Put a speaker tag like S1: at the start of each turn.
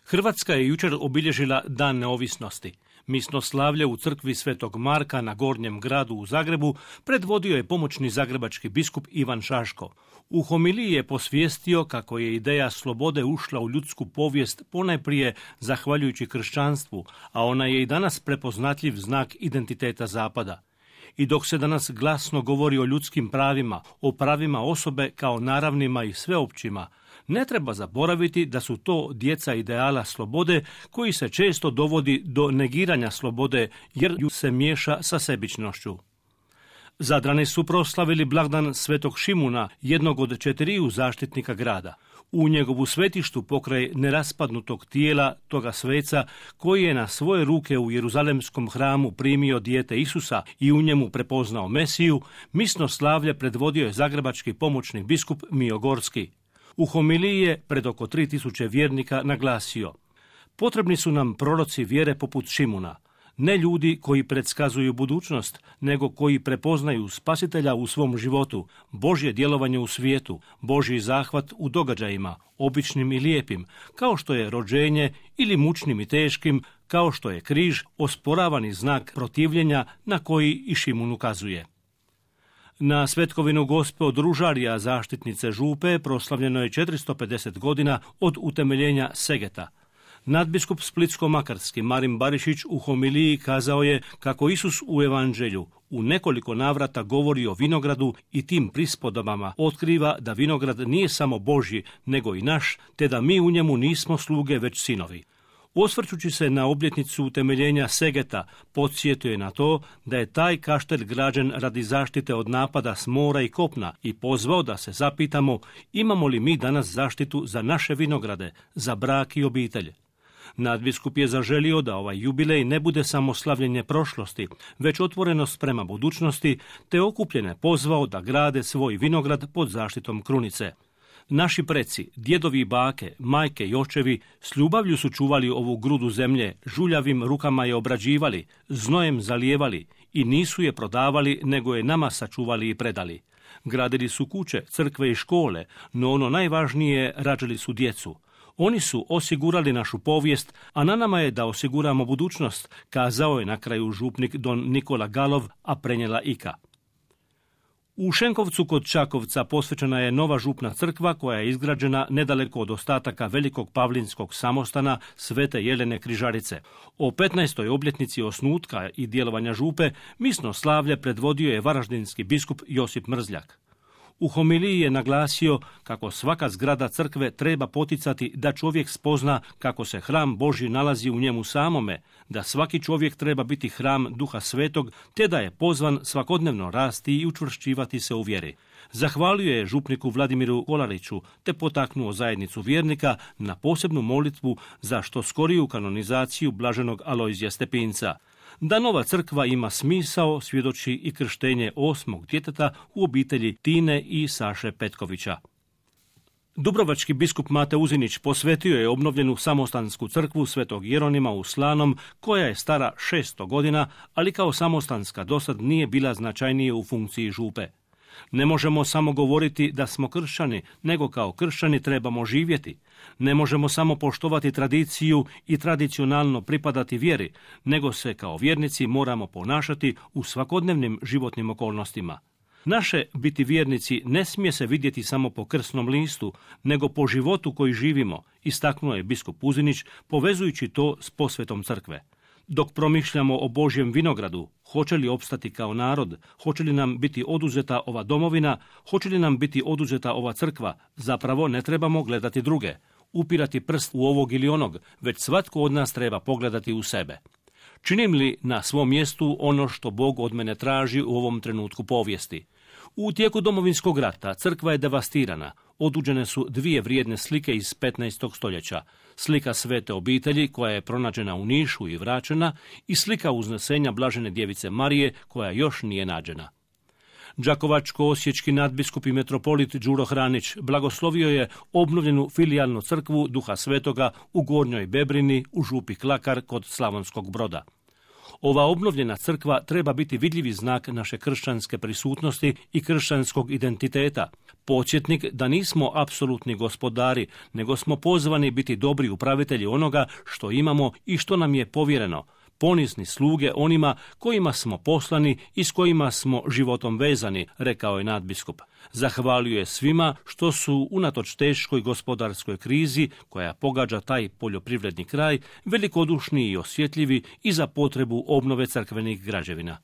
S1: Hrvatska je jučer obilježila Dan neovisnosti. Misnoslavlje u crkvi Svetog Marka na Gornjem gradu u Zagrebu predvodio je pomoćni zagrebački biskup Ivan Šaško. U homiliji je posvijestio kako je ideja slobode ušla u ljudsku povijest ponajprije zahvaljujući kršćanstvu, a ona je i danas prepoznatljiv znak identiteta Zapada. I dok se danas glasno govori o ljudskim pravima, o pravima osobe kao naravnima i sveopćima, ne treba zaboraviti da su to djeca ideala slobode koji se često dovodi do negiranja slobode jer ju se miješa sa sebičnošću. Zadrani su proslavili blagdan Svetog Šimuna, jednog od 4 zaštitnika grada. U njegovu svetištu pokraj neraspadnutog tijela toga sveca koji je na svoje ruke u Jeruzalemskom hramu primio dijete Isusa i u njemu prepoznao Mesiju, misnoslavlje predvodio je zagrebački pomoćni biskup Mijo Gorski. U homiliji je pred oko 3000 vjernika naglasio: potrebni su nam proroci vjere poput Šimuna, ne ljudi koji predskazuju budućnost, nego koji prepoznaju Spasitelja u svom životu, Božje djelovanje u svijetu, Božji zahvat u događajima, običnim i lijepim, kao što je rođenje ili mučnim i teškim, kao što je križ, osporavani znak protivljenja na koji i Šimun ukazuje. Na svetkovinu Gospe od Ružarija, zaštitnice Župe, proslavljeno je 450 godina od utemeljenja Segeta. Nadbiskup Splitsko-makarski Marin Barišić u homiliji kazao je kako Isus u evanđelju u nekoliko navrata govori o vinogradu i tim prispodobama otkriva da vinograd nije samo Božji, nego i naš, te da mi u njemu nismo sluge, već sinovi. Osvrćući se na obljetnicu utemeljenja Segeta, podsjetio je na to da je taj kaštelj građen radi zaštite od napada s mora i kopna i pozvao da se zapitamo imamo li mi danas zaštitu za naše vinograde, za brak i obitelj. Nadbiskup je zaželio da ovaj jubilej ne bude samo slavljenje prošlosti, već otvorenost prema budućnosti, te okupljene pozvao da grade svoj vinograd pod zaštitom krunice. Naši preci, djedovi i bake, majke i očevi s ljubavlju su čuvali ovu grudu zemlje, žuljavim rukama je obrađivali, znojem zalijevali i nisu je prodavali, nego je nama sačuvali i predali. Gradili su kuće, crkve i škole, no ono najvažnije, rađali su djecu. Oni su osigurali našu povijest, a na nama je da osiguramo budućnost, kazao je na kraju župnik don Nikola Galov, a prenijela Ika. U Šenkovcu kod Čakovca posvećena je nova župna crkva koja je izgrađena nedaleko od ostataka velikog pavlinskog samostana Svete Jelene Križarice. O 15. obljetnici osnutka i djelovanja župe misnoslavlje predvodio je varaždinski biskup Josip Mrzljak. U homiliji je naglasio kako svaka zgrada crkve treba poticati da čovjek spozna kako se hram Božji nalazi u njemu samome, da svaki čovjek treba biti hram Duha Svetog, te da je pozvan svakodnevno rasti i učvršćivati se u vjeri. Zahvalio je župniku Vladimiru Kolariću, te potaknuo zajednicu vjernika na posebnu molitvu za što skoriju kanonizaciju blaženog Alojzija Stepinca. Da nova crkva ima smisao svjedoči i krštenje 8. djeteta u obitelji Tine i Saše Petkovića. Dubrovački biskup Mate Uzinić posvetio je obnovljenu samostansku crkvu Svetog Jeronima u Slanom, koja je stara 600 godina, ali kao samostanska dosad nije bila značajnije u funkciji župe. Ne možemo samo govoriti da smo kršćani, nego kao kršćani trebamo živjeti. Ne možemo samo poštovati tradiciju i tradicionalno pripadati vjeri, nego se kao vjernici moramo ponašati u svakodnevnim životnim okolnostima. Naše biti vjernici ne smije se vidjeti samo po krsnom listu, nego po životu koji živimo, istaknuo je biskup Uzinić, povezujući to s posvetom crkve. Dok promišljamo o Božjem vinogradu, hoće li opstati kao narod, hoće li nam biti oduzeta ova domovina, hoće li nam biti oduzeta ova crkva, zapravo ne trebamo gledati druge, upirati prst u ovog ili onog, već svatko od nas treba pogledati u sebe. Činim li na svom mjestu ono što Bog od mene traži u ovom trenutku povijesti? U tijeku Domovinskog rata crkva je devastirana. Otuđene su 2 vrijedne slike iz 15. stoljeća. Slika Svete obitelji koja je pronađena u Nišu i vraćena i slika uznesenja Blažene djevice Marije koja još nije nađena. Đakovačko-osječki nadbiskup i metropolit Đuro Hranić blagoslovio je obnovljenu filijalnu crkvu Duha Svetoga u Gornjoj Bebrini u župi Klakar kod Slavonskog Broda. Ova obnovljena crkva treba biti vidljivi znak naše kršćanske prisutnosti i kršćanskog identiteta. Podsjetnik da nismo apsolutni gospodari, nego smo pozvani biti dobri upravitelji onoga što imamo i što nam je povjereno, ponizne sluge onima kojima smo poslani i s kojima smo životom vezani, rekao je nadbiskup. Zahvalio je svima što su unatoč teškoj gospodarskoj krizi koja pogađa taj poljoprivredni kraj velikodušni i osjetljivi i za potrebu obnove crkvenih građevina.